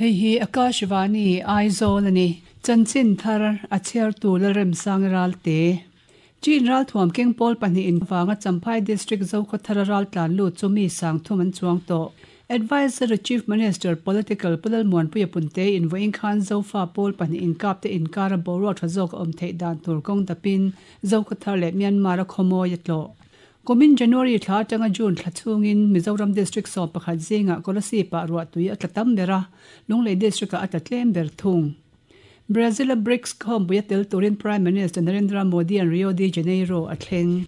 Hei hi Akashvani Aizawl a ni. Chanchin thar a chhiartu Lalremsang Ralte. Chin ralthuam keng pawl pahnihin vanga Champhai District Zokhawthara raltlan lut chu mi sang thum an chuang tawh. Adviser Chief Minister Political Pu Lalmuanpuia Punte in vawiin khan Zofa pawl pahnih inkap te inkara boruak tha zawk a awm theih dan tur kawng dapin Zokhawthar leh Myanmar a khawmawi a tlawh. Kumin January thla atanga June thla chhungin Mizoram District 11 zingah Kolasib-ah ruahtui a tla tam ber a, Lunglei District-ah a tla tlem ber thung. Brazil-a BRICS khawmpui a tel turin Prime Minister Narendra Modi-a'n Rio de Janeiro a thleng.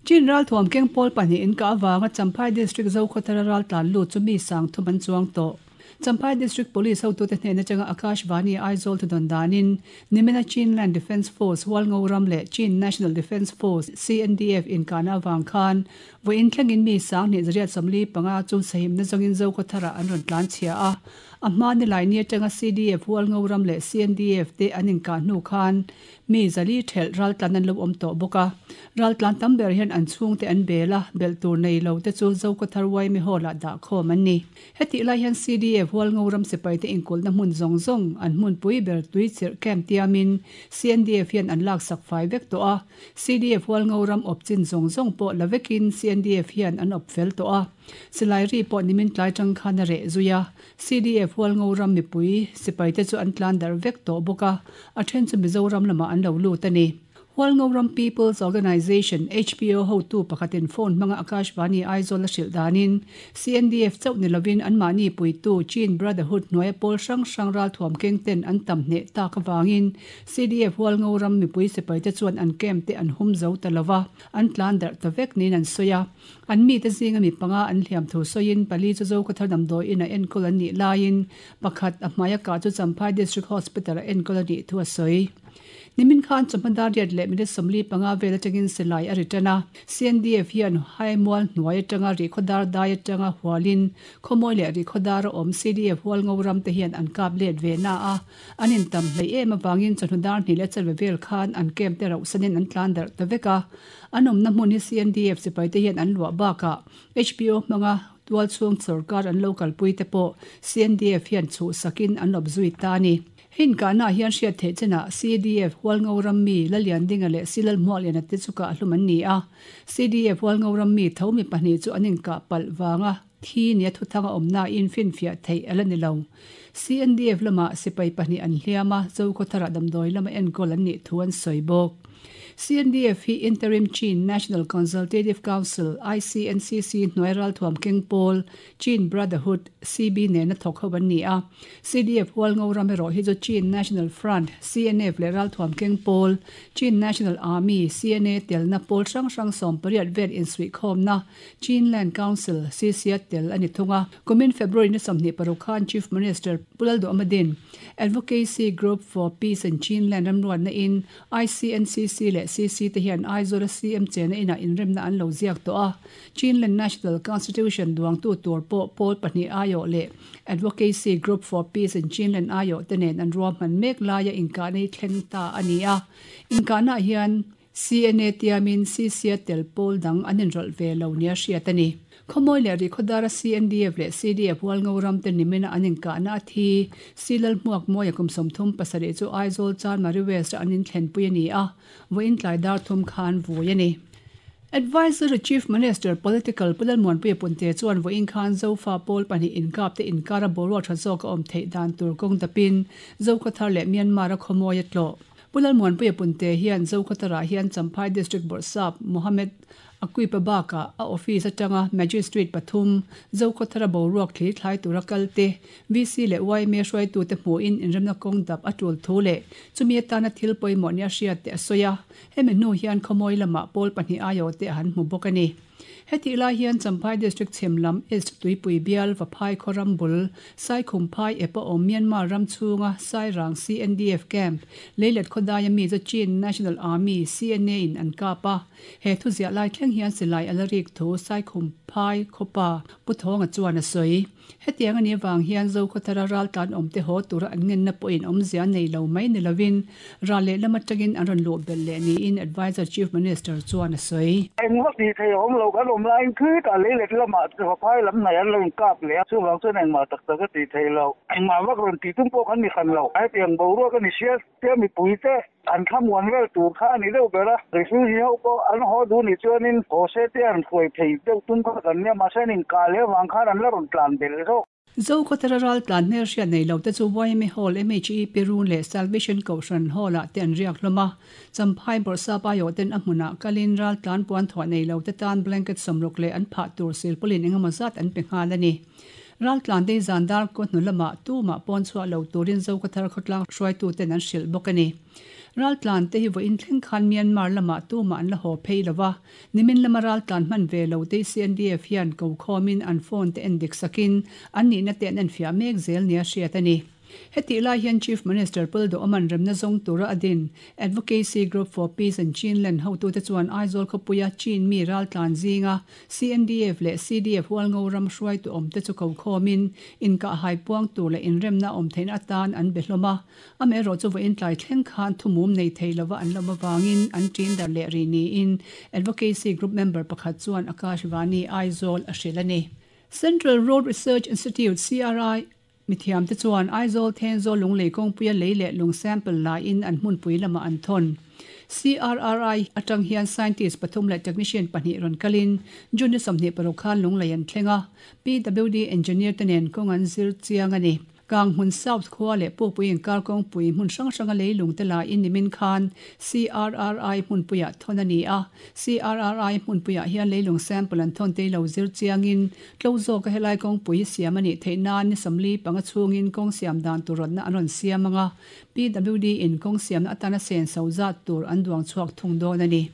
Chin ralthuam keng pawl pahnih in kah avanga Champhai District Zokhawthara raltlan lut chu mi sang thum an chuang tawh. Champhai District Police hotute hnen atanga Akashvani Aizawl thudawn danin Nimina Chinland Defence Force Hualngoram leh Chin National Defence Force, CNDF, inkahna avang khan vawiin thlengin mi sang hnih zariat 45 chu sahimna zawngin Zokhawtharah an rawn tlan chhia a. A hma nilai ni atanga CDF Hualngoram leh CNDF te an inkah hnu khan Mi zali thelh raltlan an lo awm tawh bawk a, raltlan tam ber hian an chhungte an bel a, belh tur nei lo te chu Zokhawthar Yma Hall ah dah khawm an ni. Hetih lai hian CDF Hualngo ram sipaite inkulhna hmun zawng zawng an hmunpui ber tui chirh camp tiamin CNDF hian an laksak fai vek tawh a, CDF Hualngo ram awp chin zawng zawng pawh la vekin CNDF hian an awp fel tawh a. Silai ri pawh nimin tlai tang khan a reh zui a, CDF Hualngo ram mipui sipaite chu an tlan darh vek tawh bawk a, a then chu Mizoram lamah an lo lut a ni. Hualngo ram People's Organisation, HPO, hotu pakhatin phone hmanga Akashvani Aizawl a hrilh danin CNDF chauh ni lovin anmahni puitu Chin Brotherhood hnuaia pawl hrang hrang ralthuam keng ten an tam hneh tak avangin CDF Hualngo ram mipui sipaite chuan an camp te an hum zo ta lova, an tlan darh ta vek niin an sawi a. An mite zinga mi panga an hliam thu sawiin pali chu Zokhawthar damdawiin a enkawl an nih laiin pakhat a hmaia kah chu Champhai District Hospital a enkawl a nih thu a sawi. Nimin khan chawhma dar riat leh minute 45 vel atangin silai a ri tan a, CNDF hian Haimual hnuai atanga Rihkhawdar dai atanga hualin Khawmawi leh Rihkhawdar a awm CDF Hualngo ram te hian an kap let ve na a, an intam hleih em avangin chawhnu dar hnih leh chanve vel khan an camp te rauhsanin an tlan darh ta vek a. An awmna hmun hi CNDF sipaite hian an luah bakah HPO hmanga tualchhung sorkar an lo kalpui te pawh CNDF hian chhuhsakin an awp zui ta a ni. Hei inkahnaah hian hriat theih chenah CDF Hualngo ram mi Laliandinga leh Silalhmuahliana te chu kahhlum an ni a. CDF Hualngo ram mi tho mi pahnih chu an inkah palh vanga thi nia thuthanga awmnain finfiah theih a la ni lo. CNDF lamah sipai pahnih an hliam a, Zokhawtharah damdawi lama enkawl an nih thu an sawi bawk. CNDF hi Interim Chin National Consultative Council, ICNCC, hnuai ralthuam keng pawl, Chin Brotherhood, CB, nena thawk ho an ni a. CDF Hualngo ram erawh hi chu Chin National Front, CNF, leh ralthuam keng pawl, Chin National Army, CNA, telna pawl hrang hrang 18 vel insuihkhawmna, Chin Land Council, CC, a tel a ni thung a. Kumin February ni 26 khan Chief Minister Pu Lalduhmadin, Advocacy Group for Peace in Chinland ramruatna in ICNCC leh CC te hian Aizawl-a CM chena inah inremna an lo ziak tawh a. Chinland National Constitution duangtu tur pawh pawl pahnih aiawh leh Advocacy Group for Peace in Chinland aiawh te nen an ruahman mek laia inkahna hi thleng ta a ni a. Inkahnaah hian CNA tiamin CC-a tel pawl dang an inrawlh ve lo nia hriat a ni. Khawmawi leh Rihkhawdara CNDF leh CDF Hualngo ram te nimina an inkahna a thi. Silal Hmuakmawia kum 37 chu Aizawl Chanmari West-a an inthlenpui a ni a, vawiin tlai dar thum khan vui a ni. Advisory Chief Minister Political Pu Lalmuanpuia Punte chuan vawiin khan Zofa pawl pahnih inkap te inkara boruak tha zawk a awm theih dan tur kawng dapin Zokhawthar leh Myanmar-a khawmawi a tlawh. Pu Lalmuanpuia Punte hian Zokhawtharah hian Champhai District Bawrhsap Mohammed Aquipa bakah a office atanga Magistrate pathum, Zokhawthara boruak thli thlai tura kal te, VC leh yma hruaitute hmuhin inremna kawng dap a tul thu leh chumi atana thil pawimawh nia hriat te a sawi a. Hemi hnu hian khawmawi lamah pawl pahnih aiawhte a han hmu bawk a ni. Hetih lai hian Champhai District chhem lam East Tuipui bial Vaphai khaw ram bul Saikhumphai ep a awm Myanmar ram chhunga Sairang CNDF camp Leilet khawdaia mi chu Chin National Army, CNA, in an kap a. He thu ziah lai thleng hian silai a la rik thu Saikhumphai khawpa Pu Thawnga chuan a sawi. Hetiang a nih avang hian Zokhawthara raltlan awmte haw tura an ngenna pawhin awmzia nei lo mai ni lovin ral lehlam atangin an rawn luh belh leh niin Adviser Chief Minister chuan a sawi. Engvak tih theih a awm lo, kan awm laiin khitah leilet lamah Vaphai lam hnaih an lo inkap leh a, chuvang chuan engmah tak tak a tih theih loh. Engmah vak rawn tih tum pawh kan ni hran lo. Hetiang boruak a ni sia tia mipuite an thlamuan vel tur kha a ni deuh ber a, refugee ho pawh an haw duh nih chuanin haw se te an hruai thei deuh tum kha kan nia, mahse an inkah leh avang khan an la rawn tlan belh zawk. Zokhawthara ral tlan hmelhriat nei lo te chu yma Hall, MHEP Run leh Salvation Kohhran Hall ah te an riak hlawm a. Champhai Bawrhsap aiawh ten a hmunah kalin ral tlan puan thuah nei lo te tan blanket sawmruk leh an phah tur silpawlin engemaw zat an pe nghal a ni. Ral tlan te zan dar kaw hnu lamah tumah pawn chhuah lo turin Zokhawthar khawtlang hruaitu ten an hrilh bawk a ni. Ral tlan te hi vawiin thleng khan Myanmar lamah tumah an la haw phei lo va. Nimin lama raltlan hman ve lo te CNDF hian ko khawmin an phone te en dik sakin an nihna te an enfiah mek zel nia hriat a ni. Hetih lai hian Chief Minister Pul Duhawman remna zawng tura a din Advocacy Group for Peace and Chinland hotute chuan Aizawl khawpuia Chin mi raltlan zinga CNDF leh CDF Hualngo ram hruaitu awmte chu ko khawmin inkahhai puang tur leh inremna awm theihna atan an be hlawm a. Amaherawh chu vawiin tlai thleng khan thumum nei thei lova an lawm avangin an ṭin darh leh rih niin Advocacy Group member pakhat chuan Akash Vani Aizawl a hrilh a ni. Central Road Research Institute, CRI, mithiamte chuan Aizawl Thenzawl Lunglei kawngpuia lei leh lung sample laiin an hmunpui lamah an thawn. CRRI atang hian scientist pathum leh technician pahnih rawn kalin June ni 26 khan Lunglei an thleng a, PWD engineer te nen kawng an zir chiang a ni. Kanghmun South khua leh Pukpui inkar kawngpui hmun hrang hranga leilung te laiin nimin khan CRRI hmunpuiah thawn a ni a. CRRI hmunpuiah hian leilung sample an thawn te lo zir chiangin tlo zawka helai kawngpui hi siam a nih theih nan ni 45 chhungin kawng siam dan tur rawtna an rawn siam ang a, PWD in kawng siamna atana senso zat tur an duang chhuak thung dawn a ni.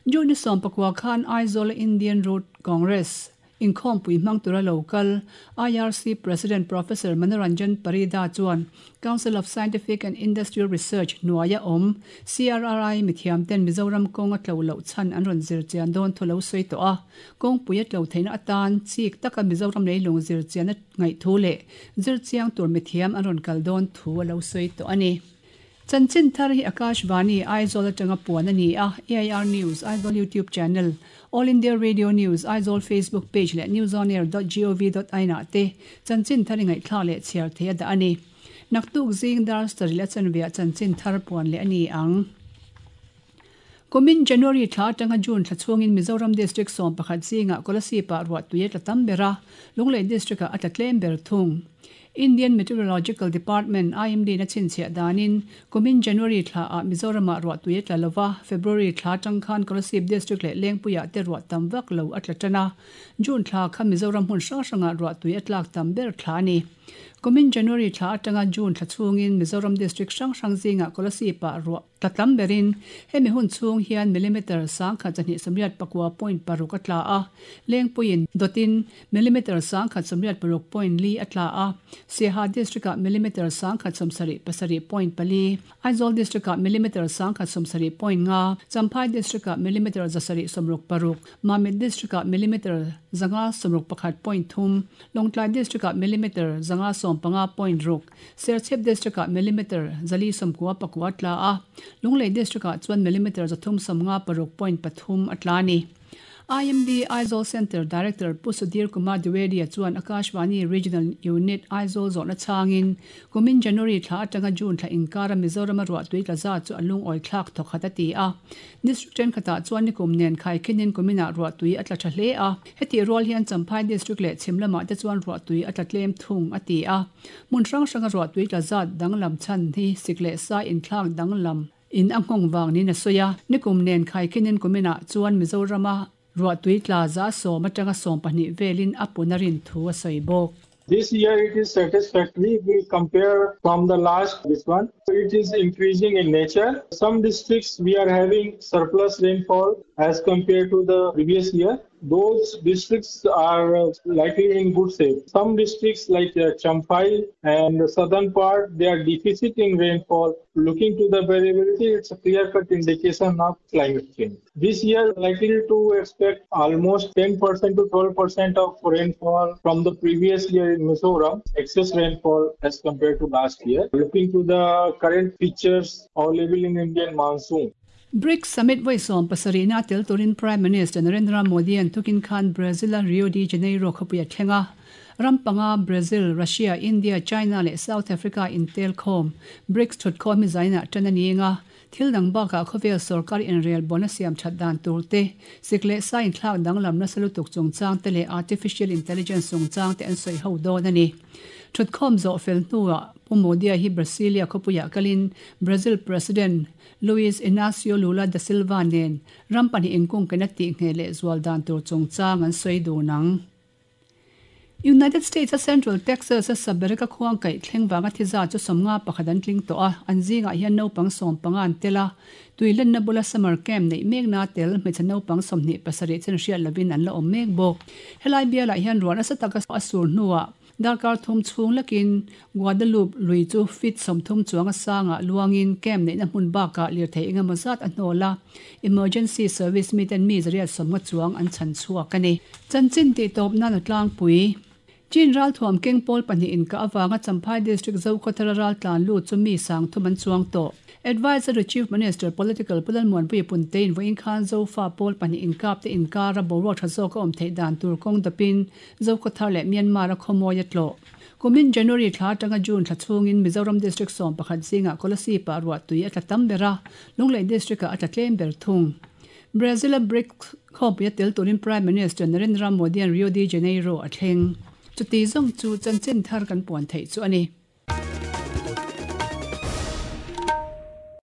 June ni 19 khan Aizawl-a Indian Road Congress, Inkhawmpui hmang tura lo kal IRC President Professor Manoranjan Parida chuan Council of Scientific and Industrial Research hnuaia awm CRRI mithiamten Mizoram kawng a tlo loh chhan an rawn zir chian dawn thu lo sawi tawh a. Kawngpui a tlo theihna atan chik taka Mizoram leilung zir chian a ngaih thu leh zir chiang tur mithiam an rawn kal dawn thu a lo sawi tawh a ni. Chanchin thar hi Akashvani, Aizawl atanga puan a ni a, AIR News, Aizawl YouTube channel, All India Radio News, Aizawl Facebook page leh newsonair dot gov dot in ah te chanchin thar i ngaihthlak leh chhiar thei a dah a ni. Naktuk zing dar sarih leh chanveah chanchin thar puan leh a ni ang. Kumin January thla atanga June thla chhungin Mizoram District 11 zingah Kolasib-ah ruahtui a tla tam ber a, Lunglei District-ah a tla tlem ber thung. Indian Meteorological Department, IMD, na chhinchhiah danin, kumin January thlaah Mizoramah ruahtui a tla lo va, February thla atang khan Kolasib District leh Lengpuiah te ruah tam vak lo a tla tan a, June thla kha Mizoram hmun hrang hrangah ruahtui a tlak tam ber thla a ni. Kumin January thla atanga June thla chhungin Mizoram District hrang hrang zingah Kolasib-ah ruah tla tam berin hemi hun chhung hian millimeter 1289.6 a tla a, Lengpuiin dawtin millimeter 186.4 a tla a, Siaha District-ah millimeter 177.4, Aizawl District-ah millimeter 170.5, Champhai District-ah millimeter 766, Mamit District-ah millimeter 561.3, Lawngtlai District-ah millimeter 595.6, Serchhip District-ah millimeter 494 a tla a, Lunglei District-ah chuan millimeter 356.3 a tla a ni. IMD Aizawl Centre Director Pu Sudhir Kumar Dwivedi-a chuan Akashvani Regional Unit Aizawl zawhna chhangin kumin January thla atanga June thla inkara Mizorama ruahtui tla zat chu a lungawi thlak thawkhat a ti a. District thenkhatah chuan nikum nen khaikhinin kuminah ruahtui a tla tha hle a. Hetih rual hian Champhai District leh chhim lamah te chuan ruahtui a tla tlem thung a ti a. Hmun hrang hranga ruahtui tla zat danglam chhan hi sik leh sai inthlak danglam in a nghawng vang niin a sawi a. Nikum nen khaikhinin kuminah chuan Mizorama ruahtui tla za 10 atanga 12 velin a pun a rin thu a sawi bawk. This year it is satisfactory if we compare from the last this one. It is increasing in nature. Some districts we are having surplus rainfall as compared to the previous year. Those districts are likely in good shape. Some districts like Champhai and the southern part, they are deficit in rainfall. Looking to the variability, it's a clear-cut indication of climate change. This year, likely to expect almost 10% to 12% of rainfall from the previous year in Mizoram, excess rainfall as compared to last year. Looking to the current features available in Indian monsoon. BRICS Summit vawi 70 na tel turin Prime Minister Narendra Modi an tukin khan Brazil a Rio de Janeiro khawpui a thleng a. Ram panga Brazil, Russia, India, China leh South Africa intel khawm BRICS thutkhawm hi zainah tan a ni eng a. Thil dang bakah khawvel sorkar inrel bona siam that dan tur te, sik leh sa inthlak danglam nasa lutuk chungchang te leh artificial intelligence chungchang te an sawi ho dawn a ni. Thutkhawm zawh fel hnuah Pu Modi-a hi Brasilia khawpuiah kalin Brazil President Luiz Inacio Lula da Silva nen ram pahnih inkungkaina tihngheh leh zual dan tur chungchang an sawi dun ang. United States-a Central Texas-a Sabereka khuang kaih thleng vanga thi zat chu 51 an tling tawh a, an zingah hian naupang 15 an tel a. Tuilenna bula summer camp neih mekna tel hmeichhe naupang 27 chen hriat lovin an la awm mek bawk. Helai bialah hian ruah nasa taka a sur hnuah Darkar thum chhung lakin Guadalupe lui chu feet 30 chuang a sangah luangin camp neihna hmun bakah lirthei engemaw zat a hnawl a, emergency service miten mi 150 chuang an chhan chhuak a ni. Chanchin tih tawp nan a tlangpui. Chin ralthuam keng pawl pahnih inkah avanga Champhai District Zokhawthara raltlan lut chu mi 3000 an chuang tawh. Adviser to Chief Minister, Political, Pu Lalmuanpuia Punteiin vawiin khan Zofa pawl pahnih inkap te inkara boruak tha zawk a awm theih dan tur kawng dapin Zokhawthar leh Myanmar a khawmawi a tlawh. Kumin January thla atanga June thla chhungin Mizoram District 11 zingah Kolasib ah ruahtui a tla tam ber a, Lunglei District ah a tla tlem ber thung. Brazil a BRICS khawpui a tel turin Prime Minister Narendra Modi-a'n Rio de Janeiro a thleng. Chuti zawng chu chanchin thar kan puan theih chu a ni.